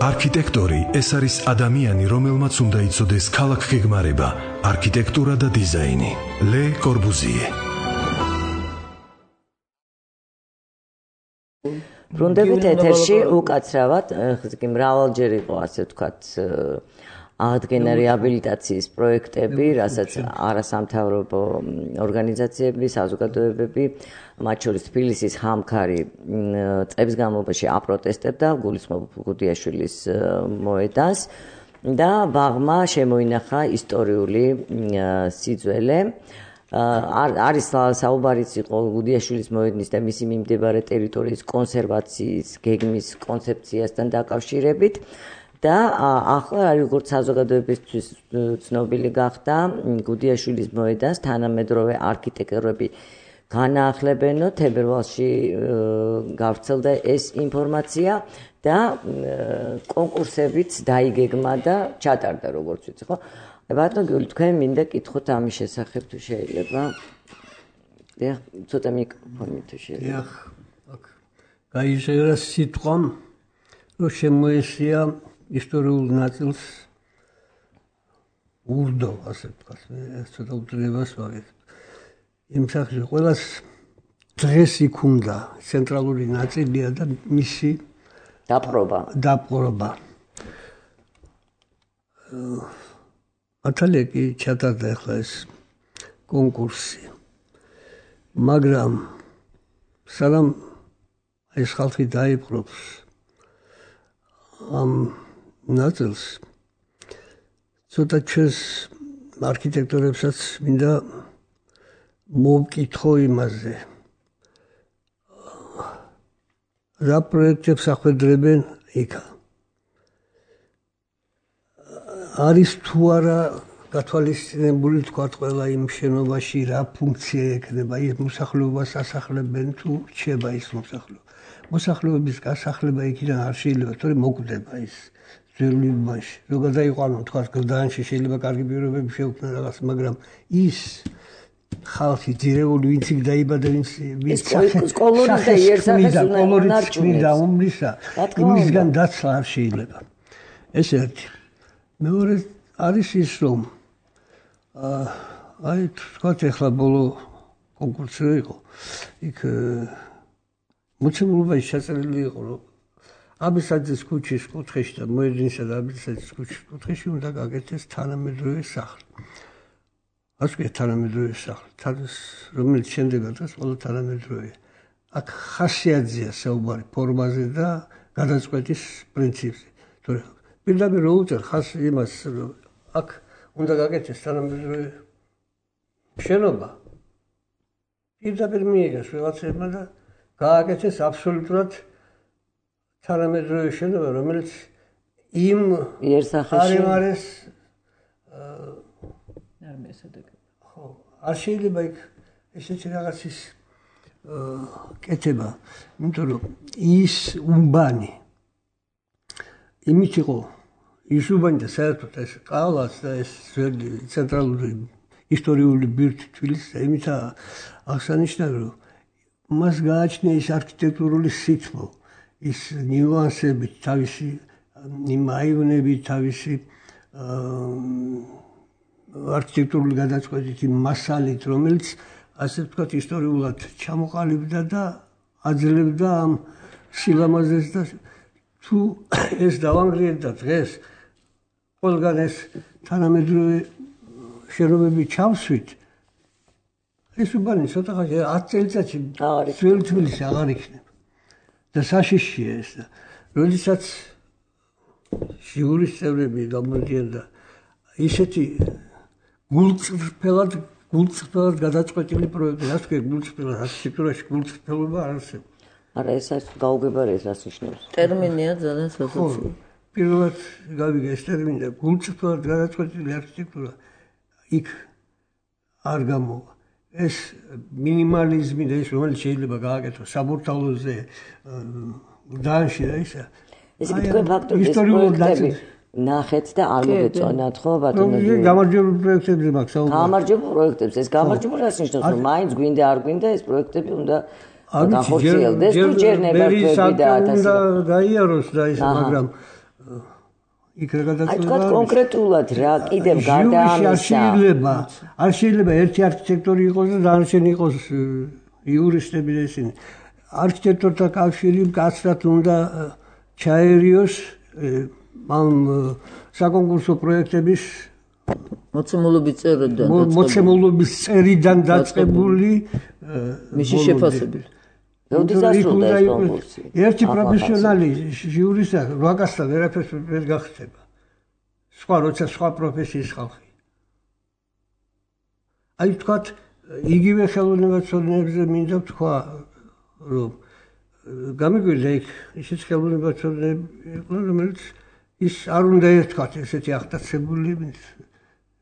არქიტექტორი ეს არის ადამიანი, რომელმაც უნდა იცოდეს ქალაქგეგმარება, არქიტექტურა და დიზაინი. ლე კორბუზიე. ბრუნდებით ეთერში უკაცრავად, ხსკი მრავალჯერ იყო ასე ვთქვათ აღდგენა რეაბილიტაციის პროექტები, რასაც არასამთავრობო ორგანიზაციები, საზოგადოებები, მათ შორის თბილისის ხამქარი წლების განმავლობაში აპროტესტებდა გულისხმობ გუდიაშვილის მოედანს და ბაღმა შემოინახა ისტორიული სიძველე. არის საუბარიც იყო გუდიაშვილის მოედნის და მისი მიმდებარე ტერიტორიის კონსერვაციის გეგმის კონცეფციასთან დაკავშირებით. და ახლა როგორც საზოგადოებისთვის ცნობილი გახდა, გუდიაშვილის მოედანს თანამედროვე არქიტექტორები განაახლებენო, თებერვალში გავრცელდა ეს ინფორმაცია და კონკურსებიც დაიგეგმა და ჩატარდა, როგორც ვიცი, ხო? ბატონო გიული, თქვენ მინდა კითხოთ ამის შესახებ თუ შეიძლება. დიახ, ცოტა მიკროფონი თუ შეიძლება. დიახ, აქ გაიჟღერა სიტყვა, რომ შემოესია ისტორიულ ნაწილს ურდო, ასე ვთქვათ, ეს ცოტა უძლებას ვაგებ. იმ სახში ყველას დღეს იქ უნდა ცენტრალური ნაწილია და მისი დაპყრობა. მართალია კი ჩატარდა ახლა ეს კონკურსი. მაგრამ სანამ ეს ხალხი დაიპყრობს ამ ნაწილს, ცოტა ჩვენს არქიტექტორებსაც მინდა მოვკითხო იმაზე. რა პროექტებს ახვედრებენ იქა? არის თუ არა გათვალისწინებული თქვა ყველა იმ შენობაში რა ფუნქცია ექნება, ის მოსახლეობას ასახლებენ თუ რჩება ის მოსახლეობა. მოსახლეობის გასახლება იქიდან არ შეიძლება, თორემ მოკვდება ის ძვირილობაში. ზოგადად იყო თქვა გლდანში შეიძლება კარგი პირობები შეუქმნა რაღაც, მაგრამ ის ხალხი ძირეული ვინც იქ დაიბადა, ვინც სკოლური და იერსახეს უნდა ჩნდა უმრისა, იმისგან დაცლა არ შეიძლება. ეს ერთი. მეორე არის ის, რომ აი თქვათ ახლა ბოლო კონკურსი იყო, იქ მოცემულობაში ჩაწერილი იყო, რომ აბესაძის ქუჩის კუთხეში და მოედნისა და აბესაძის ქუჩის კუთხეში უნდა გაკეთდეს თანამედროვე სახლი. ასკე თანამედროვე სახლი, რომელიც შემდეგაც დღეს ყველა თანამედროვეა. აქ ხასიათზეა საუბარი ფორმაზე და გადაწყვეტის პრინციპზე. თორე პირდაპირ რო უწერ ხას იმას, რომ აქ უნდა გაკეთდეს თანამედროვე შენობა. პირდაპირ მიიღეს რაღაცებმა და გააკეთეს აბსოლუტურად თანამედროვე შენობა, რომელიც იმ იერსახეს არ მესადეგება. ხო, არ შეიძლება იქ ესეთი რაღაცის კეთება, იმიტომ რომ ის უბანი იმით იყო ის უბანი და საერთოდ ეს ყალაც და ეს ცენტრალური ისტორიული ბირთვი თბილისის და იმით აღსანიშნავი, რომ მას გააჩნია ის არქიტექტურული სითბო, ის ნიუანსები, თავისი იმ აივნები, თავისი არქიტექტურული გადაწყვეტით იმ მასალით, რომელიც ასე ვთქვათ ისტორიულად ჩამოყალიბდა და აძლევდა ამ სილამაზეს და თუ ეს დავანგრიეთ და დღეს ყველგან ეს თანამედროვე შენობები ჩავსვით, ეს უბანი ცოტა ხანში 10 წელიწადში ძველი თბილისი აღარ იქნება და საშიშია ეს და როდესაც ჟიურის წევრები გამოდიან და ისეთი გულწრფელად გადაწყვეტილი პროექტი, ასე ვქო, გულწრფელად არქიტექტურაში გულწრფელობა არ არსებობს. არა, ეს გაუგებარი ეს რას ნიშნავს? ტერმინია ძალიან სასაცილო. პირველად გავიგე ეს ტერმინი და გულწრფელად გადაწყვეტილი არქიტექტურა იქ არ გამოვა. ეს მინიმალიზმი და ის რომელიც შეიძლება გააკეთოს საბურთალოზე, გლდანში და ისა. ეს თქვენ ფაქტობრივად პროექტები ნახეთ და არ მოგეწონათ, ხო ბატონო? გამარჯვებული პროექტები მაქვს საუბარი. გამარჯვებული პროექტებს, ეს გამარჯვებული რას ნიშნავს, რომ მაინც გვინდა არ გვინდა ეს პროექტები უნდა განხორციელდეს თუ ჯერ ნებართვები და 1000 უნდა გაიაროს და ის, მაგრამ იქ რა გადაწყვეტა? აი თქვა კონკრეტულად რა კიდევ გარდა ამისა. არ შეიძლება ერთი არქიტექტორი იყოს და დანარჩენი იყოს იურისტები და ისინი. არქიტექტორთა კავშირი მკაცრად უნდა ჩაერიოს ამ საკონკურსო პროექტების მოცემულობის წერიდან დაწყებული მისი შეფასებით. როდის დასრულდა ეს კონკურსი? ერთი პროფესიონალი ჟიურისა 800-დან ვერაფერს ვერ გახსება. როცა სხვა პროფესიის ხალხი. აი თქვათ, იგივე ხელოვნებაცოდნეებზე მინდა ვთქვა, რომ გამიგვირდა იქ ისიც ხელოვნებაცოდნეები იყვნენ, რომელიც ის არ უნდა ერთხათ ესეთი აღტაცებული,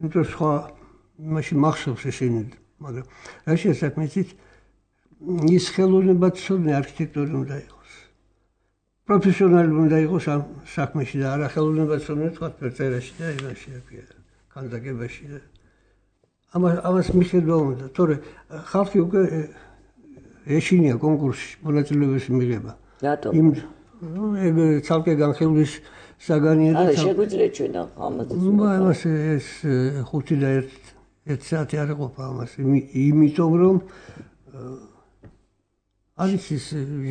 იმიტომ სხვა მაშინ მახსოვს ესენი, მაგრამ რა შესაძლოა იცით ის ხელოვნებაცოდნე არქიტექტორი უნდა იყოს. პროფესიონალი უნდა იყოს ამ საქმეში და არა ხელოვნებაცოდნე თქვათ ფერწერაში და იმაში, ქანდაკებაში და ამას მიხედვა უნდა, თორე ხალხი უკვე ეშინია კონკურსში მონაწილეობის მიღება. რატომ? ეგ ცალკე განხილვის საგანია და შეგვიძლია ჩვენ ამაზე. ამას ეს 5 და 1 საათი არ იყოფა ამას, იმიტომ რომ არის ის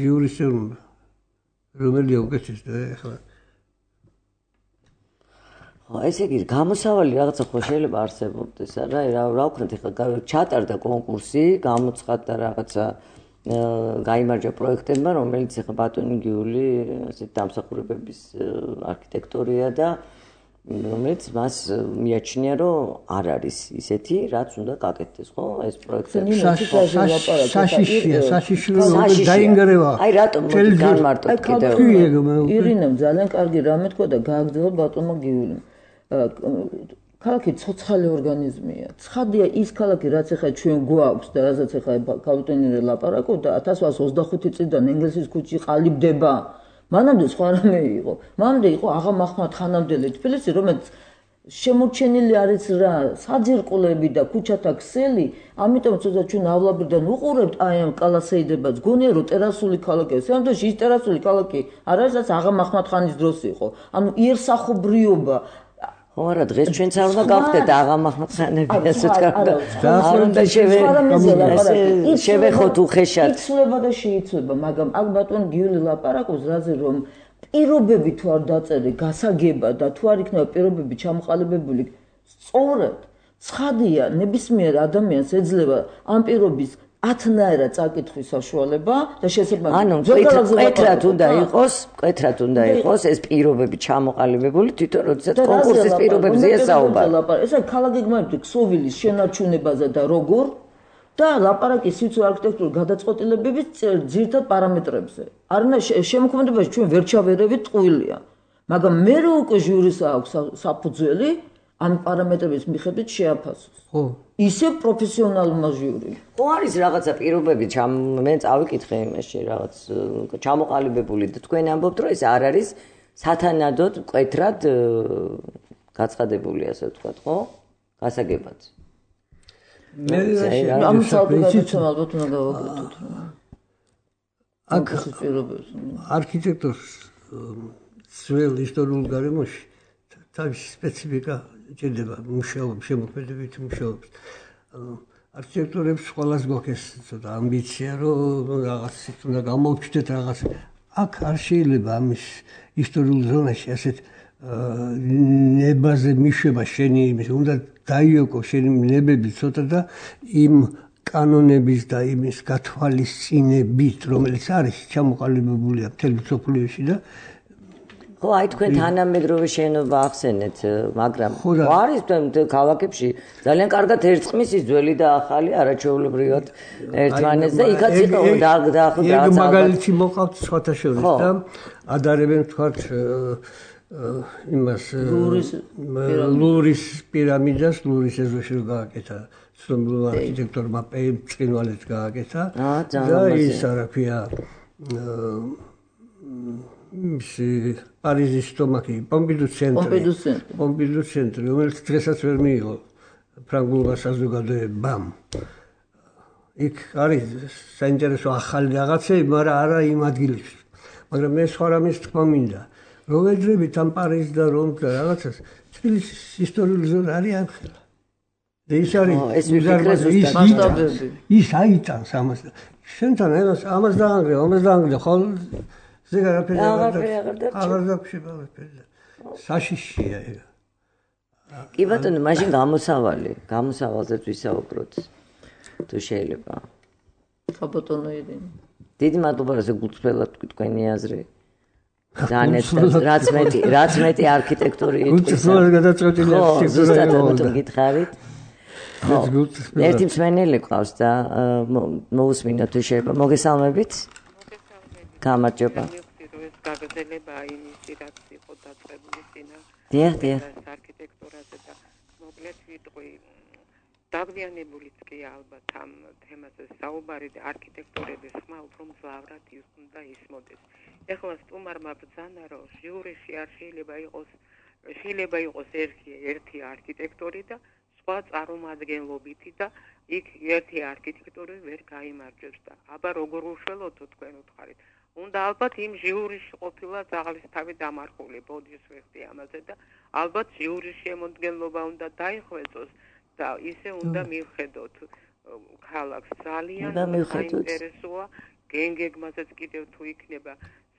იურისტები, რომელია უკეთეს და ეხლა ესე იგი გამოსავალი რაღაცა ხო შეიძლება არსებობდეს, არა? რა ვქნათ ეხლა ჩატარდა კონკურსი, გამოცხადდა რაღაცა გაიმარჯვა პროექტებმა, რომელიც ეხლა ბატონი გიული ასეთ დამსახურებების არქიტექტორია და რომელიც მას მიაჩნია, რომ არ არის ისეთი, რაც უნდა გაკეთდეს, ხო? ეს პროექტები. საშიში დაინგრევა. აი რატომ განმარტოთ კიდევ? ირინამ ძალიან კარგი რამე თქვა და გააგრძელა ბატონმა გიულიმ. ქალაქი ცოცხალი ორგანიზმია. ცხადია ის ქალაქი, რაც ახლა ჩვენ გვაქვს და რასაც ახლა კაპიტონი ლაპარაკობდა 1825 წლიდან ენგელსის ქუჩი ყალიბდება. მანამდე სხვა რამე იყო. მანამდე იყო აღა მაჰმად ხანამდელი თბილისი, რომელიც შემორჩენილი არის რა, საძირკვლები და ქუჩათა ქსელი, ამიტომ ცოტა ჩვენ ავლაბრიდან უყურებთ აი ამ კალასეიდებას. გონია რომ ტერასული ქალაქია. სამდოში ის ტერასული ქალაქი არ არის, რაც აღა მაჰმად ხანის დროს იყო. ანუ იერსახობრიობა ხო არა დღეს ჩვენც არ უნდა გავხდეთ აღა მაჰმად ხანები ასე თქვა და არ უნდა შევეხოთ უხეშად იცვლება და შეიცვლება მაგრამ აქ ბატონ გიული ლაპარაკობს რაზე რომ პირობები თუ არ დაწერე გასაგება და თუ არ იქნება პირობები ჩამოყალიბებული სწორად ცხადია ნებისმიერ ადამიანს ეძლევა ამ პირობის 10-ნაირად წაკითხვის საშუალება და შესაძლოა ანუ მკვეთრად უნდა იყოს ეს პირობები ჩამოყალიბებული თვითონ როდესაც კონკურსის პირობებზე ესაუბარ. ესა ქალაქი გმართ ქსოვილის შენარჩუნებაზე და როგორ და ლაპარაკის სიცოცხლე არქიტექტურული გადაწყვეტილებების ძირითად პარამეტრებზე. არნა შემოქმედებაში ჩვენ ვერ ჩავერევით ტყუილია. მაგრამ მე რო უკვე ჟიურის აქვს საფუძველი ამ პარამეტრების მიხედვით შეაფასოს. ხო. ისე პროფესიონალურმა ჟიურიმ. ხო არის რაღაცა პირობები მე წავიკითხე იმაში რაღაც ჩამოყალიბებული და თქვენ ამბობთ რომ ეს არ არის სათანადოდ მკვეთრად გაცხადებული ასე ვთქვათ, ხო? გასაგებად. მე ამ საკითხს ალბათ უნდა გავაკეთოთ. აქ არქიტექტორს ძველ ისტორიულ გარემოში თავისი სპეციფიკა ჭირდება მუშაობის შემოქმედებითი მუშაობის. არქიტექტორებს ყველას გვაქვს ცოტა ამბიცია რომ რაღაცით უნდა გამოვჩნდეთ რაღაც. აქ არ შეიძლება ამის ისტორიულ ზონაში ასეთ ნებაზე მიშვება შენი იმის უნდა დაიოკო შენი ნებები ცოტა და იმ კანონების და იმის გათვალისწინებით რომელიც არის ჩამოყალიბებულია მთელ მსოფლიოში და ხო აი თქვენ თანამედროვე შენობა ახსენეთ მაგრამ არის ქალაქებში ძალიან კარგად ერწყმის ის ძველი და ახალი არაჩვეულებრივად ერთმანეთს და იქაც იყო დაახლოებით ეგ მაგალითი მოყავთ სხვათა შორის და ადარებენ თქვათ იმას ლუვრის პირამიდას ლუვრის ეზოში რო გააკეთა ცნობილ არქიტექტორმა ბრწყინვალეც გააკეთა და ის რა ქვია პარიზის სტომაქი პომპიდუ ცენტრი რომელიც დღესაც ვერ მიიღო ფრანგულმა საზოგადოებამ იქ არის საინტერესო ახალი რაღაცები მაგრამ არა იმ ადგილებში მაგრამ მე სხვა რამეს თქვა მინდა როვეძრებით ამ პარიზს და რომს და რაღაცას თბილისის ისტორიული ზონა არის ამხელა. და ის არის ის აიტანს ამას. შენთან ένας ამას დაანგრია, ხოლ ზეგარაფერი აღარ დაგშება ვეფერდა. საშიშია ეგ. კი ბატონო, მაშინ გამოსავალზეც ვისაუბროთ. თუ შეიძლება. ბატონო ირინე. დიდი მადლობა, რომ გულწრფელად თქვენი აზრი. რაც მეტი არქიტექტური გულწრფელად გადაწყვეტილი არქიტექტურა. ზუსტად ამიტომ გითხარით. ერთი მსმენელი ყავს და მოусმინოთ თუ შეიძლება. მოგესალმებით. გამარჯობა. გაგრძელება იმისი რაც იყო დაწყებული წინა არქიტექტურაზე და მოკლედ ვიტყვი დაგვიანებულიც კი ალბათ ამ თემაზე საუბარი და არქიტექტურების ხმა უფრო მძლავრად უნდა ისმოდეს. ეხლა სტუმარმა ბრძანა რომ ჟიურიში არ შეიძლება იყოს ერთი არქიტექტორი და სხვა წარმომადგენლობითი და იქ ერთი არქიტექტორი ვერ გაიმარჯვებს და აბა როგორ უშველოთო თქვენ უთხარით. უნდა ალბათ იმ ჟიურიში ყოფილა ძაღლის დამარხული ბოდის ვეხტი ამაზე და ალბათ ჟიურის შემოქმედება უნდა დაიხვეწოს და ისე უნდა მივხედოთ ქალაქს ძალიან საინტერესოა გენგეგმაზეც კიდევ თუ იქნება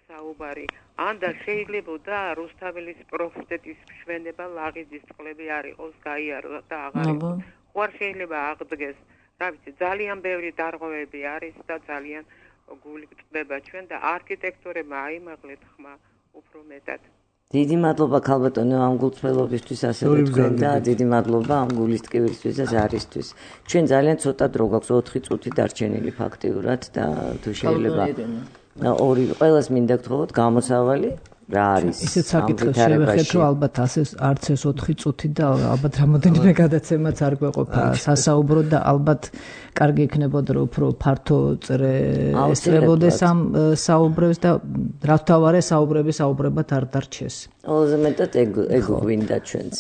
საუბარი ან და შეიძლება რუსთაველის პროფიტეტის მშვენება ლაღიძის წყლები არ იყოს გაიაროს და აღარ იყოს ხوار შეიძლება აღდგეს რა ვიცი ძალიან ბევრი დარღვევები არის და ძალიან გული გწდება ჩვენ და არქიტექტურებმა აიმაღლეთ ხმა უფრო მეტად. დიდი მადლობა ქალბატონო ამ გულწრფელობისთვის ასევე თქვენ და დიდი მადლობა ამ გულის ტკივილისთვის და ზარისთვის. ჩვენ ძალიან ცოტა დრო გვაქვს 4 წუთი დარჩენილი ფაქტიურად და თუ შეიძლება ორი ყველას მინდა გთხოვოთ გამოსავალი რა არის ისეთ საკითხებს შევეხეთ რომ ალბათ არც ეს 4 წუთი და ალბათ რამოდენიმე გადაცემაც არ გვეყოფა სასაუბრო და ალბათ კარგი იქნებოდა რომ უფრო ფართო ესწრებოდეს ამ საუბრებს და რა თავარე საუბრებად არ დარჩეს. ყველაზე მეტად ეგ გვინდა ჩვენც.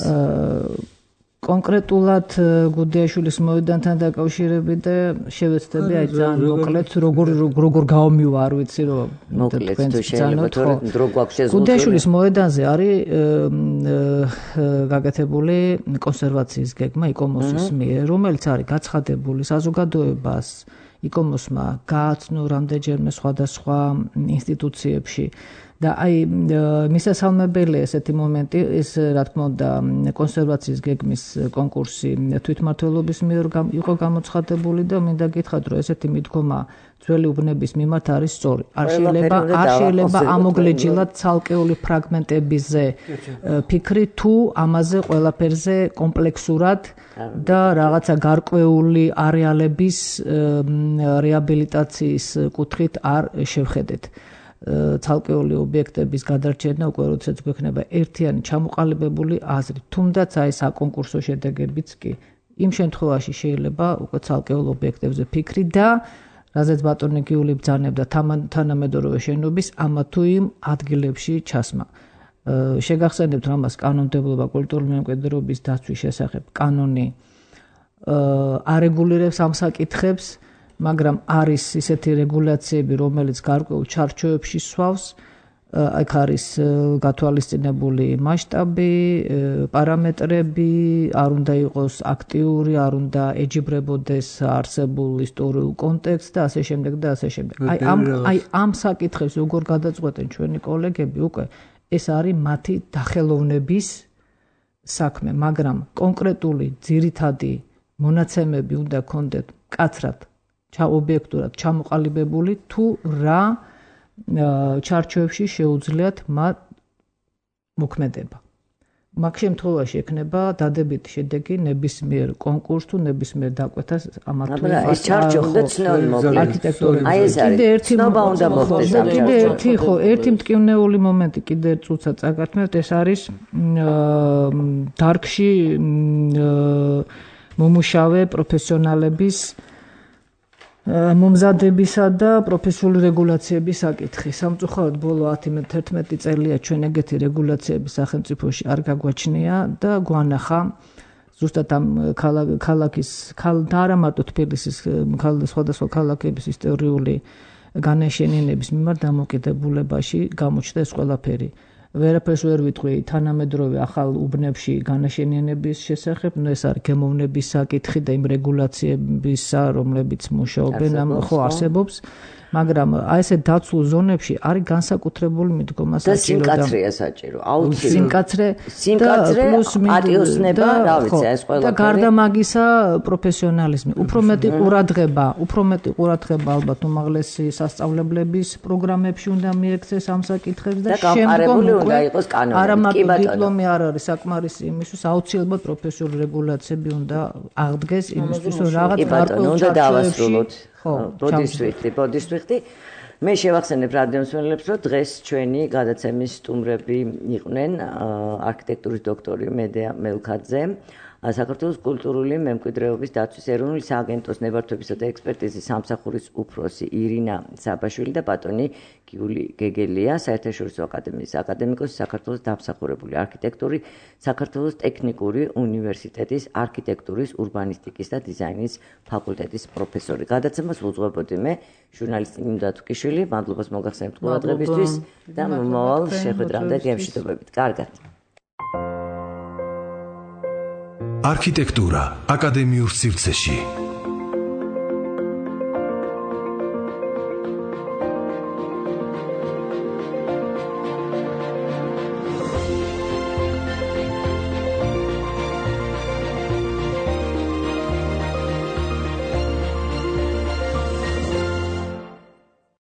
კონკრეტულად გუდიაშვილის მოედანთან დაკავშირებით და შევეცდები აი ძალიან მოკლედ როგორ გავმივა არ ვიცი რომ მოკლედ თუ შეიძლება თორე დრო გვაქვს შეზღუდული. გუდიაშვილის მოედანზე არის გაკეთებული კონსერვაციის გეგმა იკომოსის მიერ, რომელიც არის გაცხადებული საზოგადოებას იკომოსმა გააცნო რამდენჯერმე სხვადასხვა ინსტიტუციებში და აი მისასალმებელი ესეთი მომენტი ის რა თქმა უნდა კონსერვაციის გეგმის კონკურსი თვითმმართველობის მიერ იყო გამოცხადებული და მინდა გითხრათ რომ ესეთი მიდგომა ძველი უბნების მიმართ არის სწორი. არ შეიძლება ამოგლეჯილად ცალკეული ფრაგმენტებიზე ფიქრი თუ ამაზე ყველაფერზე კომპლექსურად და რაღაცა გარკვეული არეალების რეაბილიტაციის კუთხით არ შევხედეთ. ცალკეული ობიექტების გადარჩენა უკვე როდესაც გვექნება ერთიანი ჩამოყალიბებული აზრი. თუმდაც აი საკონკურსო შედეგებიც კი იმ შემთხვევაში შეიძლება უკვე ცალკეულ ობიექტებზე ფიქრი და რაზეც ბატონი გიული ბრძანებდა თანამედროვე შენობის ამა თუ იმ ადგილებში ჩასმა. შეგახსენებთ რამას კანონმდებლობა კულტურული მემკვიდრეობის დაცვის შესახებ კანონი არეგულირებს ამ საკითხებს, მაგრამ არის ისეთი რეგულაციები, რომელიც გარკვეულ ჩარჩოებში სვავს, აქ არის გათვალისწინებული მასშტაბი, პარამეტრები, არ უნდა იყოს აქტიური, არ უნდა ეჯიბრებოდეს არსებულ ისტორიულ კონტექსტს და ასე შემდეგ და ასე შემდეგ. აი ამ საკითხებს როგორ გადაწყვეტენ ჩვენი კოლეგები, უკვე ეს არის მათი დახელოვნების საქმე, მაგრამ კონკრეტული ძირითადი მონაცემები უნდა გქონდეთ მკაცრად ობიექტურად ჩამოყალიბებული თუ რა ჩარჩოებში შეუძლიათ მათ მოქმედება. მაგ შემთხვევაში ექნება დადებითი შედეგი ნებისმიერ კონკურსს თუ ნებისმიერ დაკვეთას ამათ თუ ეს ჩარჩო უნდა ცნოი მოკლედ. აი ეს არის. ცნობა უნდა მოხდეს ამ ჩარჩოში. ერთი მტკივნეული მომენტი კიდე წუცა წაგართმევთ, ეს არის დარგში მომუშავე პროფესიონალების მომზადებისა და პროფესიული რეგულაციების საკითხი. სამწუხაროდ ბოლო 10-11 წელია ჩვენ ეგეთი რეგულაციები სახელმწიფოში არ გაგვაჩნია და გვანახა ზუსტად ამ ქალაქის და არა მარტო თბილისის სხვადასხვა ქალაქების ისტორიული განაშენიანების მიმართ დამოკიდებულებაში გამოჩნდა ეს ყველაფერი. ვერაფერს ვერ ვიტყვი თანამედროვე ახალ უბნებში განაშენიანების შესახებ, ეს არის გემოვნების საკითხი და იმ რეგულაციებისა, რომლებიც მუშაობენ ამ ხო არსებობს. მაგრამ აი ესე დაცულ ზონებში არის განსაკუთრებული მიდგომა საჭირო და სიმკაცრეა საჭირო. აუცილებლად. სიმკაცრე პლუს პატიოსნება, რა ვიცი, ეს ყველაფერი. და გარდა მაგისა პროფესიონალიზმი. უფრო მეტი ყურადღება ალბათ უმაღლესი სასწავლებლების პროგრამებში უნდა მიექცეს ამ საკითხებს და შემდგომ უნდა იყოს კანონები. არა მაგ დიპლომი არ არის საკმარისი იმისთვის, აუცილებლად პროფესიული რეგულაციები უნდა აღდგეს იმისთვის, რომ რაღაც გარკვეულ ჩარჩოებში ბოდისვიხტი. მე შევახსენებ რადიომსმენელებს, რომ დღეს ჩვენი გადაცემის სტუმრები იყვნენ არქიტექტურის დოქტორი მედეა მელქაძე, საქართველოს კულტურული მემკვიდრეობის დაცვის ეროვნული სააგენტოს ნებართვებისა და ექსპერტიზის სამსახურის უფროსი ირინა საბაშვილი და ბატონი გიული გეგელია, საერთაშორისო აკადემიის აკადემიკოსი, საქართველოს დამსახურებული არქიტექტორი, საქართველოს ტექნიკური უნივერსიტეტის არქიტექტურის, ურბანისტიკის და დიზაინის ფაკულტეტის პროფესორი. გადაცემას უძღვებოდი მე, ჟურნალისტი ნინო დათუკიშვილი. მადლობას მოგახსენებთ ყურადღებისთვის და მომავალ შეხვედრამდე გემშვიდობებით. კარგად. არქიტექტურა აკადემიურ სივრცეში